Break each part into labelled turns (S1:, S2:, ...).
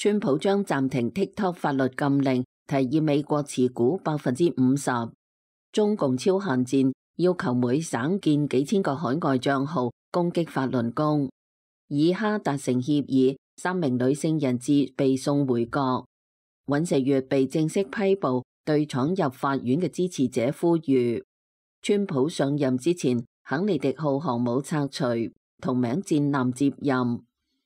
S1: 川普將暫停 TikTok 法律禁令，提議美國持股50%。中共超限戰，要求每省建幾千個海外賬號，攻擊法輪功。以哈達成協議，3名女性人質被送回國。尹錫悅被正式批捕，對闖入法院嘅支持者呼籲。川普上任之前，肯尼迪號航母拆除，同名戰艦接任。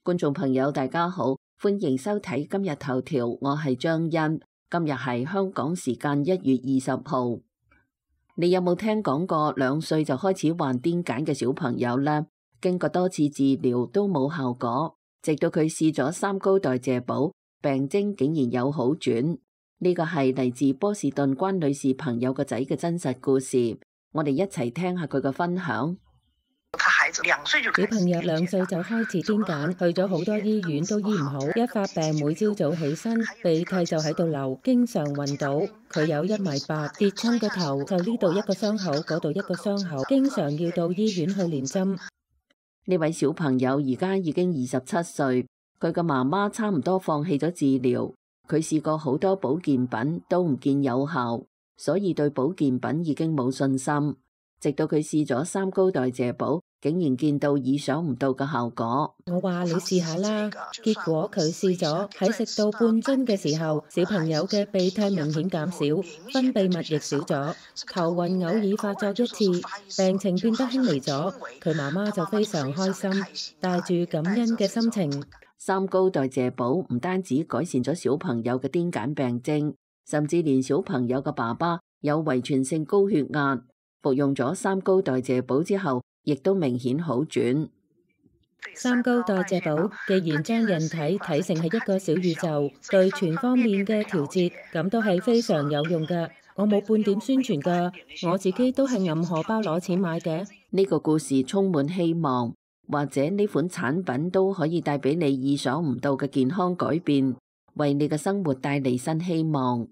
S1: 觀眾朋友大家好，歡迎收睇今日頭條，我係張欣。今日係香港時間1月20號。你有冇聽講過2歲就開始患癲癇嘅小朋友呢？經過多次治療都冇效果，直到佢試咗3高代謝寶，病徵竟然有好轉。呢個係嚟自波士頓關女士朋友個仔嘅真實故事，我哋一齊聽下佢嘅分享。
S2: 小朋友2歲就開始癲癇，去咗好多醫院都醫唔好，一發病每朝早起身鼻涕就喺度流，經常暈倒。佢有1.8米，跌親個頭就呢度一個傷口，嗰度一個傷口，經常要到醫院去連針。
S1: 呢位小朋友而家已經27歲，佢嘅媽媽差唔多放棄咗治療，佢試過好多保健品都唔見有效，所以對保健品已經冇信心。直到佢試咗3高代謝寶，竟然見到意想唔到嘅效果。
S2: 我話你試下啦，結果佢試咗，喺食到半樽嘅時候，小朋友嘅鼻涕明顯減少，分泌物亦少咗，頭暈偶爾發作1次，病情變得輕微咗。佢媽媽就非常開心，帶住感恩嘅心情。
S1: 3高代謝寶唔單止改善咗小朋友嘅癲癇病徵，甚至連小朋友嘅爸爸有遺傳性高血壓，服用咗3高代謝寶之後，亦都明顯好轉。
S2: 3高代謝寶既然將人體睇成係一個小宇宙，對全方面嘅調節，咁都係非常有用㗎。我冇半點宣傳㗎，我自己都係揞荷包攞錢買嘅。
S1: 呢個故事充滿希望，或者呢款產品都可以帶俾你意想唔到嘅健康改變，為你嘅生活帶嚟新希望。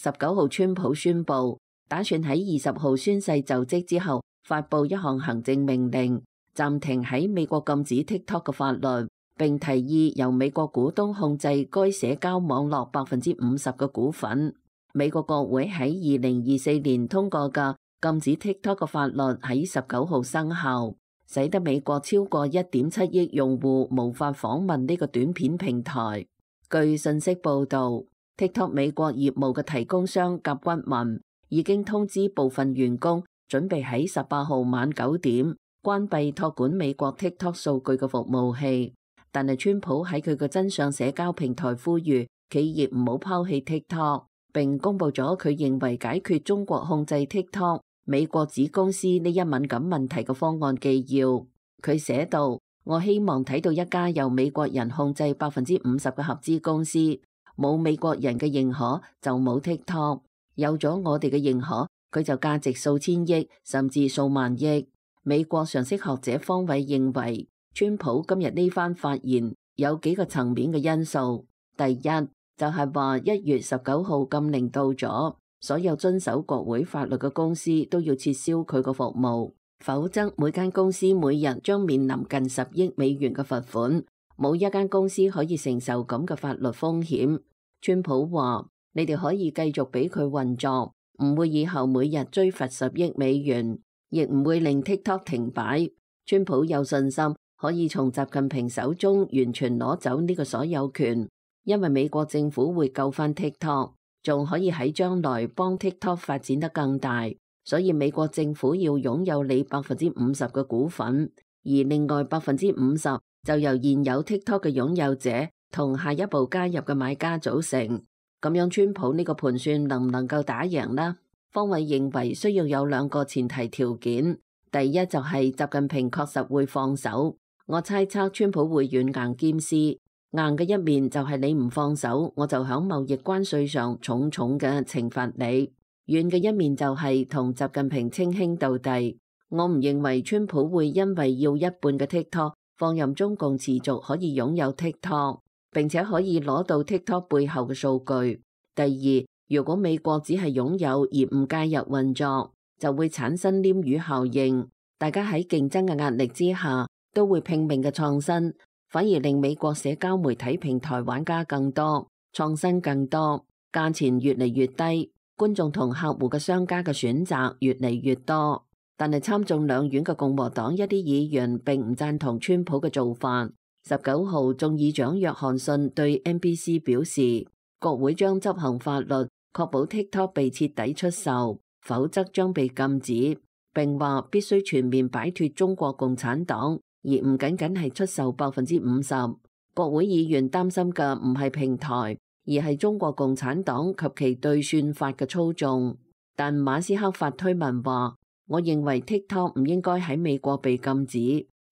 S1: 19號，川普宣布打算喺20號宣誓就職之後，發布一項行政命令，暫停喺美國禁止 TikTok 嘅法律，並提議由美國股東控制該社交網絡50%嘅股份。美國國會喺2024年通過嘅禁止 TikTok 嘅法律喺19號生效，使得美國超過1.7億用戶無法訪問呢個短片平台。據信息報道，TikTok 美國業務嘅提供商甲骨文已經通知部分員工，準備喺18號晚9點關閉託管美國 TikTok 數據嘅服務器。但係川普喺佢嘅真相社交平台呼籲企業唔好拋棄 TikTok， 並公布咗佢認為解決中國控制 TikTok 美國子公司呢一敏感問題嘅方案紀要。佢寫道：我希望睇到一家由美國人控制50%嘅合資公司。冇美國人嘅認可就冇 TikTok， 有咗我哋嘅認可，佢就價值數千億甚至數萬億。美國常識學者方偉認為，川普今日呢番發言有幾個層面嘅因素。第一就係話1月19號禁令到咗，所有遵守國會法律嘅公司都要撤銷佢個服務，否則每間公司每日將面臨近10億美元嘅罰款。冇一間公司可以承受咁嘅法律風險。川普話：你哋可以繼續俾佢運作，唔會以後每日追罰10億美元，亦唔會令 TikTok 停擺。川普有信心可以從習近平手中完全攞走呢個所有權，因為美國政府會救翻 TikTok， 仲可以喺將來幫 TikTok 發展得更大。所以美國政府要擁有你50%嘅股份，而另外50%就由現有 TikTok 嘅擁有者同下一步加入嘅買家組成。咁樣川普呢個盤算能唔能夠打贏呢？方偉認為需要有2個前提條件。第一就係習近平確實會放手。我猜測川普會軟硬兼施。硬嘅一面就係你唔放手，我就響貿易關稅上重重嘅懲罰你。軟嘅一面就係同習近平稱兄道弟。我唔認為川普會因為要一半嘅 TikTok放任中共持續可以擁有 TikTok， 並且可以攞到 TikTok 背後嘅數據。第二，如果美國只係擁有而唔介入運作，就會產生鯰魚效應。大家喺競爭嘅壓力之下，都會拼命嘅創新，反而令美國社交媒體平台玩家更多，創新更多，價錢越嚟越低，觀眾同客戶嘅商家嘅選擇越嚟越多。但係參眾兩院嘅共和黨一啲議員並唔贊同川普嘅做法。19號，眾議長約翰遜對 NBC 表示，國會將執行法律，確保 TikTok 被徹底出售，否則將被禁止。並話必須全面擺脫中國共產黨，而唔僅僅係出售50%。國會議員擔心嘅唔係平台，而係中國共產黨及其對算法嘅操縱。但馬斯克發推文話，我認為 TikTok 唔應該喺美國被禁止，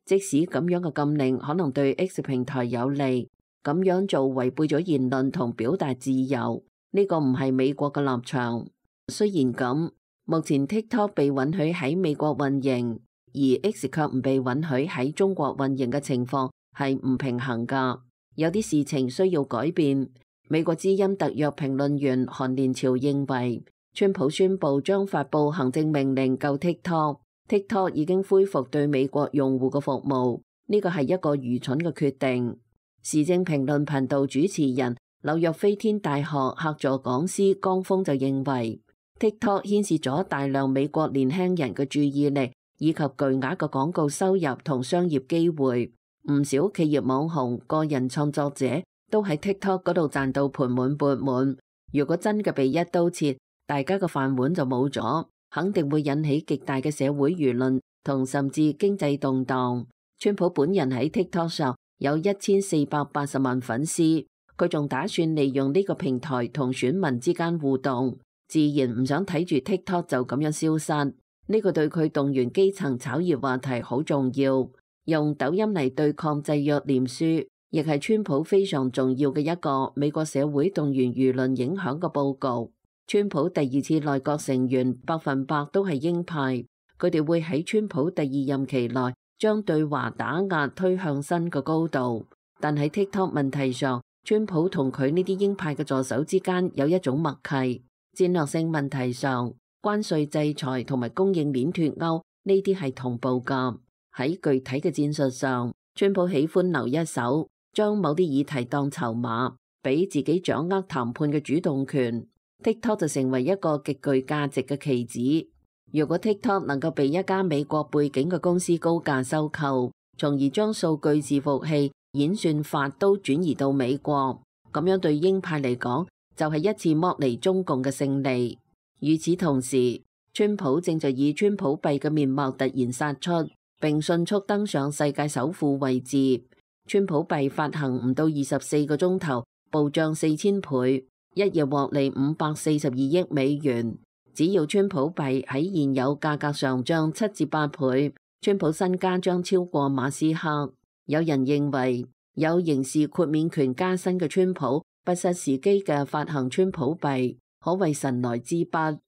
S1: 即使咁樣嘅禁令可能對 X 平台有利，咁樣做違背咗言論同表達自由，呢個唔係美國嘅立場。雖然咁，目前 TikTok 被允許喺美國運營，而 X 卻唔被允許喺中國運營嘅情況係唔平衡㗎。有啲事情需要改變。美國之音特約評論員韓連朝認為，川普宣布將發布行政命令救 TikTok，TikTok 已經恢復對美國用戶嘅服務，呢個係一個愚蠢嘅決定。時政評論頻道主持人紐約飛天大學客座講師江峰就認為，TikTok 牽涉咗大量美國年輕人嘅注意力，以及巨額嘅廣告收入同商業機會。唔少企業網紅、個人創作者都喺 TikTok 嗰度賺到盆滿缽滿。如果真嘅被一刀切，大家嘅飯碗就冇咗，肯定會引起極大嘅社會輿論同甚至經濟動盪。川普本人喺 TikTok 上有1480萬粉絲，佢仲打算利用呢個平台同選民之間互動，自然唔想睇住 TikTok 就咁樣消失。呢個對佢動員基層炒熱話題好重要。用抖音嚟對抗制約臉書，亦係川普非常重要嘅一個美國社會動員輿論影響嘅佈局。川普第二次內閣成員100%都係鷹派，佢哋會喺川普第二任期內將對華打壓推向新嘅高度。但喺 TikTok 問題上，川普同佢呢啲鷹派嘅助手之間有一種默契。戰略性問題上，關稅制裁同埋供應鏈脫鈎呢啲係同步㗎。喺具體嘅戰術上，川普喜歡留一手，將某啲議題當籌碼，俾自己掌握談判嘅主動權。TikTok 就成為一個極具價值嘅棋子。如果 TikTok 能夠被一家美國背景嘅公司高價收購，從而將數據伺服器、演算法都轉移到美國，咁樣對鷹派嚟講就係一次剝離中共嘅勝利。與此同時，川普正在以川普幣嘅面貌突然殺出，並迅速登上世界首富位置。川普幣發行唔到24個鐘頭，暴漲4000倍。一夜獲利542億美元。只要川普幣喺現有價格上漲7至8倍，川普身家將超過馬斯克。有人認為有刑事豁免權加身嘅川普不失時機嘅發行川普幣，可謂神來之筆。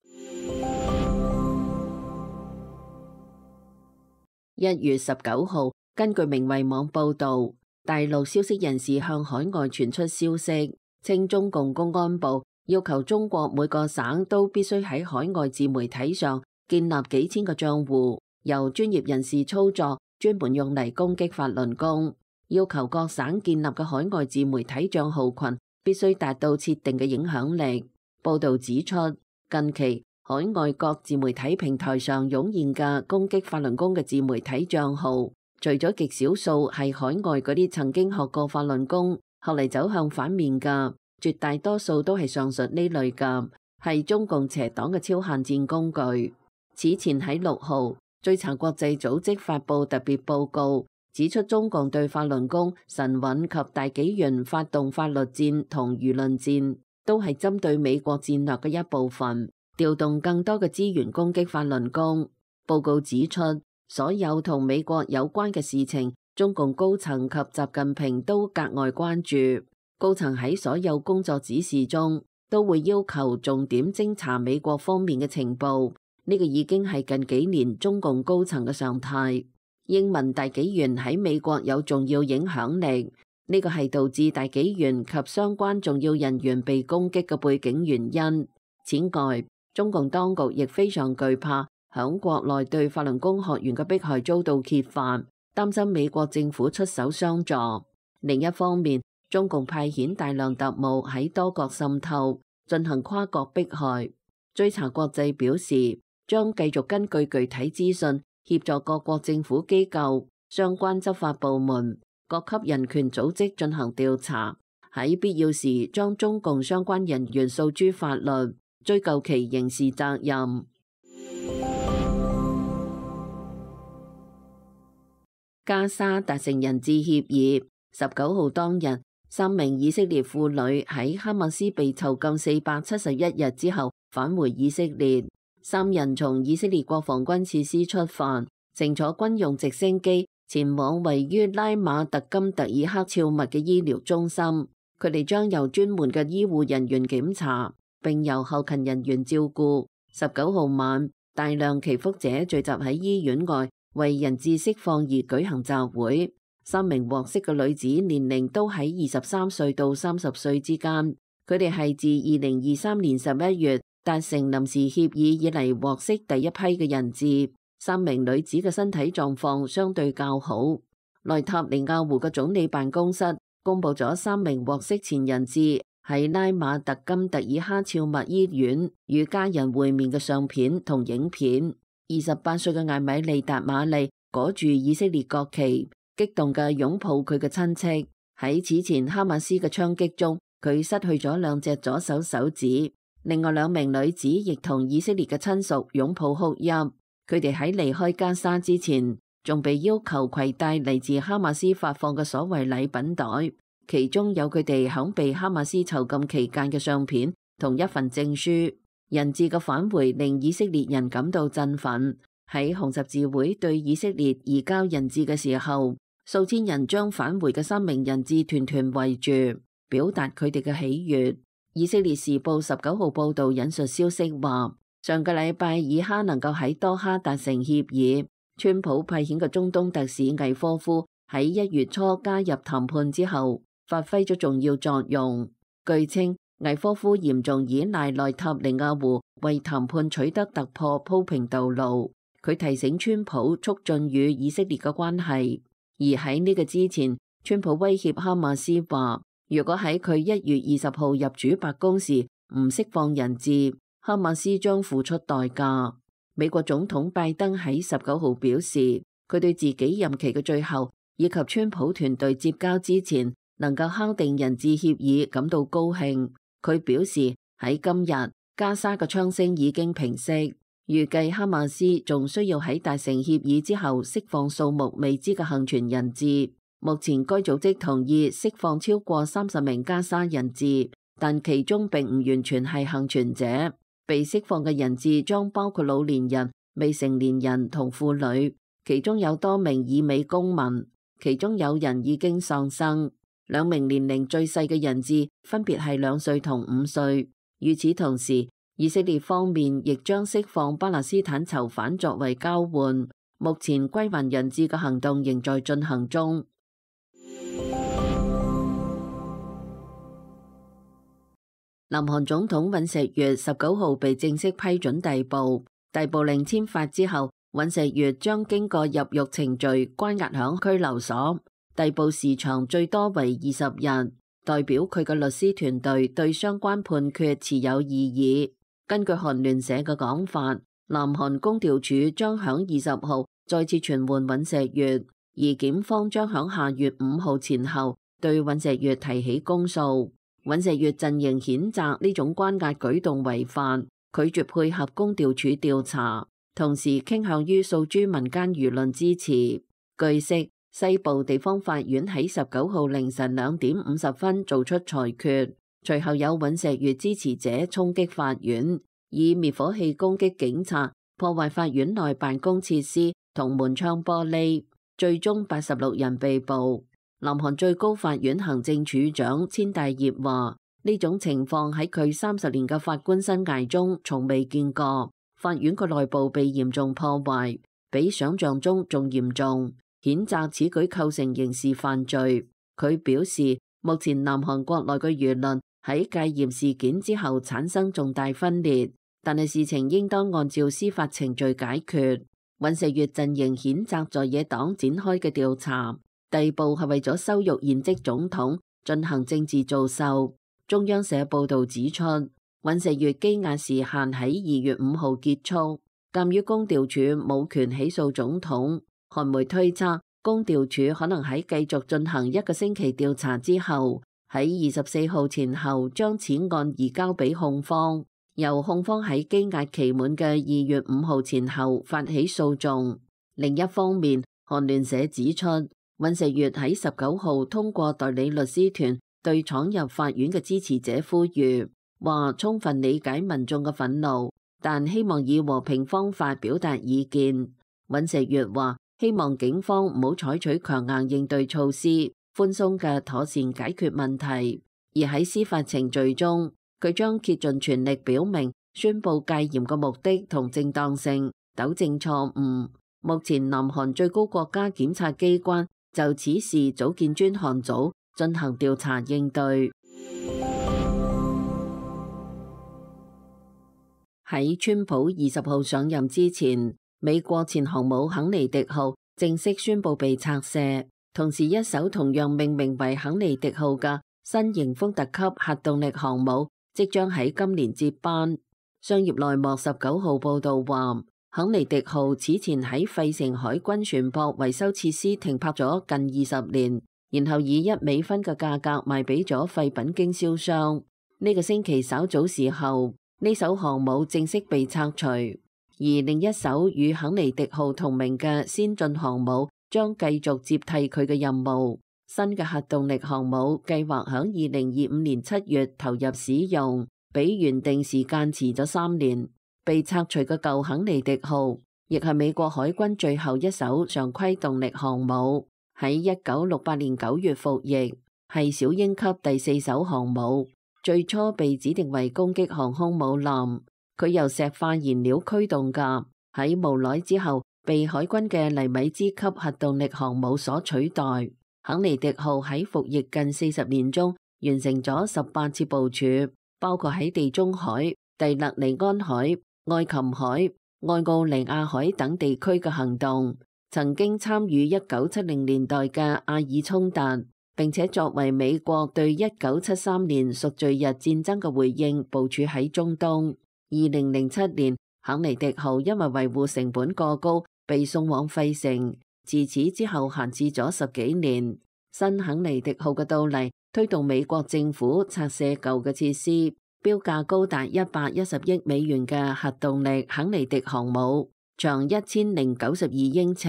S1: 1月19號，根據明慧網報導，大陸消息人士向海外傳出消息，稱中共公安部要求中國每個省都必須喺海外自媒體上建立幾千個賬戶，由專業人士操作，專門用嚟攻擊法輪功。要求各省建立嘅海外自媒體賬號群必須達到設定嘅影響力。報導指出，近期海外各自媒體平台上湧現嘅攻擊法輪功嘅自媒體賬號，除咗極少數係海外嗰啲曾經學過法輪功，後嚟走向反面嘅，絕大多數都係上述呢類嘅，係中共邪黨嘅超限戰工具。此前喺6號，追查國際組織發布特別報告，指出中共對法輪功、神韻及大紀元發動法律戰同輿論戰，都係針對美國戰略嘅一部分，調動更多嘅資源攻擊法輪功。報告指出，所有同美國有關嘅事情，中共高層及習近平都格外關注。高層喺所有工作指示中都會要求重點偵查美國方面嘅情報，呢個已經係近幾年中共高層嘅常態。英文大紀元喺美國有重要影響力，呢個係導致大紀元及相關重要人員被攻擊嘅背景原因。此外，中共當局亦非常懼怕響國內對法輪功學員嘅迫害遭到揭發，擔心美國政府出手相助。另一方面，中共派遣大量特務喺多國滲透，進行跨國迫害。追查國際表示，將繼續根據具體資訊協助各國政府機構、相關執法部門、各級人權組織進行調查，喺必要時將中共相關人員訴諸法律，追究其刑事責任。加沙達成人質協議。19號當日，3名以色列婦女喺哈馬斯被囚禁471日之後返回以色列。3人從以色列國防軍設施出發，乘坐軍用直升機前往位於拉馬特金特爾克肖密嘅醫療中心。佢哋將由專門嘅醫護人員檢查，並由後勤人員照顧。19號晚，大量祈福者聚集喺醫院外，為人質釋放而舉行集會。3名獲釋嘅女子年齡都喺23歲到30歲之間，佢哋係自2023年11月達成臨時協議以嚟獲釋第一批嘅人質。3名女子嘅身體狀況相對較好。內塔尼亞胡嘅總理辦公室公布咗3名獲釋前人質喺拉馬特金特爾克肖密醫院與家人會面嘅相片同影片。28歲嘅艾米利達馬利裹住以色列國旗，激動嘅擁抱佢嘅親戚。喺此前哈馬斯嘅槍擊中，佢失去咗2隻左手手指。另外2名女子亦同以色列嘅親屬擁抱哭泣。佢哋喺離開加沙之前，仲被要求攜帶嚟自哈馬斯發放嘅所謂禮品袋，其中有佢哋響被哈馬斯囚禁期間嘅相片同一份證書。人質嘅返回令以色列人感到振奮。喺紅十字會對以色列移交人質嘅時候，數千人將返回嘅3名人質團團圍住，表達佢哋嘅喜悅。以色列時報19號報道引述消息話，上個禮拜以哈能夠喺多哈達成協議，川普派遣嘅中東特使魏科夫喺1月初加入談判之後，發揮咗重要作用。據稱，魏科夫嚴重依賴內塔尼亞胡為談判取得突破鋪平道路。佢提醒川普促進與以色列嘅關係。而喺呢個之前，川普威脅哈馬斯話，如果喺佢1月20號入主白宮時唔釋放人質，哈馬斯將付出代價。美國總統拜登喺19號表示，佢對自己任期嘅最後以及川普團隊接交之前能夠敲定人質協議感到高興。佢表示喺今日加沙嘅槍聲已經平息，預計哈馬斯仲需要喺達成協議之後釋放數目未知嘅幸存人質。目前該組織同意釋放超過30名加沙人質，但其中並唔完全係幸存者。被釋放嘅人質將包括老年人、未成年人同婦女，其中有多名以美公民，其中有人已經喪生。2名年齡最細嘅人質分別係2歲同5歲。與此同時，以色列方面亦將釋放巴勒斯坦囚犯作為交換。目前歸還人質嘅行動仍在進行中。南韓總統尹錫悅19號被正式批准逮捕，逮捕令簽發之後，尹錫悅將經過入獄程序關押響拘留所。逮捕時長最多為20日，代表佢嘅律師團隊對相關判決持有異議。根據韓聯社嘅講法，南韓公調處將響20號再次傳喚尹錫悅，而檢方將響下月5號前後對尹錫悅提起公訴。尹錫悅陣營譴責呢種關押舉動違法，拒絕配合公調處調查，同時傾向於訴諸民間輿論支持。據悉，西部地方法院喺19號凌晨2點50分做出裁決，隨後有尹錫悅支持者衝擊法院，以滅火器攻擊警察，破壞法院內辦公設施同門窗玻璃，最終86人被捕。南韓最高法院行政處長千大業話，呢種情況喺佢30年嘅法官生涯中從未見過，法院嘅內部被嚴重破壞，比想象中仲嚴重，譴責此舉構成刑事犯罪。佢表示，目前南韓國內嘅輿論喺戒嚴事件之後產生重大分裂，但係事情應當按照司法程序解決。尹錫悅陣營譴責在野黨展開嘅調查，逮捕係為咗羞辱現職總統，進行政治造勢。中央社報導指出，尹錫悅羈押時限喺2月5號結束。鑑於公調處冇權起訴總統，韓媒推測公調處可能喺繼續進行1個星期調查之後，喺24號前後將此案移交俾控方，由控方喺羈押期滿嘅2月5號前後發起訴訟。另一方面，韓聯社指出，尹錫悅喺19號通過代理律師團對闖入法院嘅支持者呼籲，話充分理解民眾嘅憤怒，但希望以和平方法表達意見。尹錫悅話希望警方唔好採取強硬應對措施，寬鬆嘅妥善解決問題。而喺司法程序中，佢將竭盡全力表明宣布戒嚴嘅目的同正當性，糾正錯誤。目前南韓最高國家檢察機關就此事組建專項組進行調查應對。喺川普20號上任之前，美國前航母肯尼迪號正式宣布被拆卸，同時一艘同樣命名為肯尼迪號嘅新型福特級核動力航母即將喺今年接班。商業內幕19號報導話，肯尼迪號此前喺費城海軍船舶維修設施停泊咗近20年，然後以$1嘅價格賣俾咗廢品經銷商。呢個星期稍早時候，呢艘航母正式被拆除，而另一艘與肯尼迪號同名嘅先進航母將繼續接替佢嘅任務。新嘅核動力航母計劃響2025年7月投入使用，比原定時間遲咗3年。被拆除嘅舊肯尼迪號亦係美國海軍最後一艘常規動力航母，喺1968年9月服役，係小鷹級第4艘航母。最初被指定為攻擊航空母艦，佢由石化燃料驅動㗎，喺無耐之後被海軍嘅尼米茲級核動力航母所取代。肯尼迪號喺服役近40年中，完成咗18次部署，包括喺地中海、蒂勒尼安海、愛琴海、愛奧尼亞海等地區嘅行動，曾經參與1970年代嘅阿爾衝突，並且作為美國對1973年贖罪日戰爭嘅回應，部署喺中東。2007年，肯尼迪號因為維護成本過高，被送往費城。自此之後閒置咗10幾年。新肯尼迪號嘅到嚟，推動美國政府拆卸舊嘅設施。標價高達110億美元嘅核動力肯尼迪航母，長1092英尺，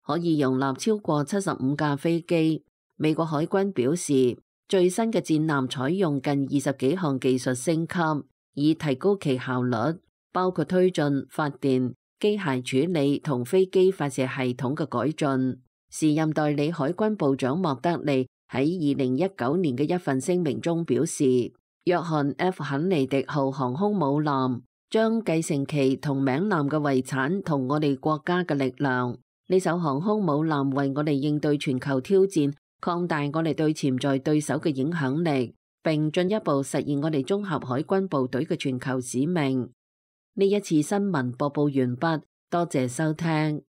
S1: 可以容納超過75架飛機。美國海軍表示，最新嘅戰艦採用近20幾項技術升級，以提高其效率，包括推進發電、機械處理同飛機發射系統嘅改進。時任代理海軍部長莫德利喺2019年嘅一份聲明中表示，約翰 F 肯尼迪號航空母艦將繼承其同名艦嘅遺產同我哋國家嘅力量。呢艘航空母艦為我哋應對全球挑戰，擴大我哋對潛在對手嘅影響力，並進一步實現我哋綜合海軍部隊嘅全球使命。呢一次新聞播報完畢，多謝收聽。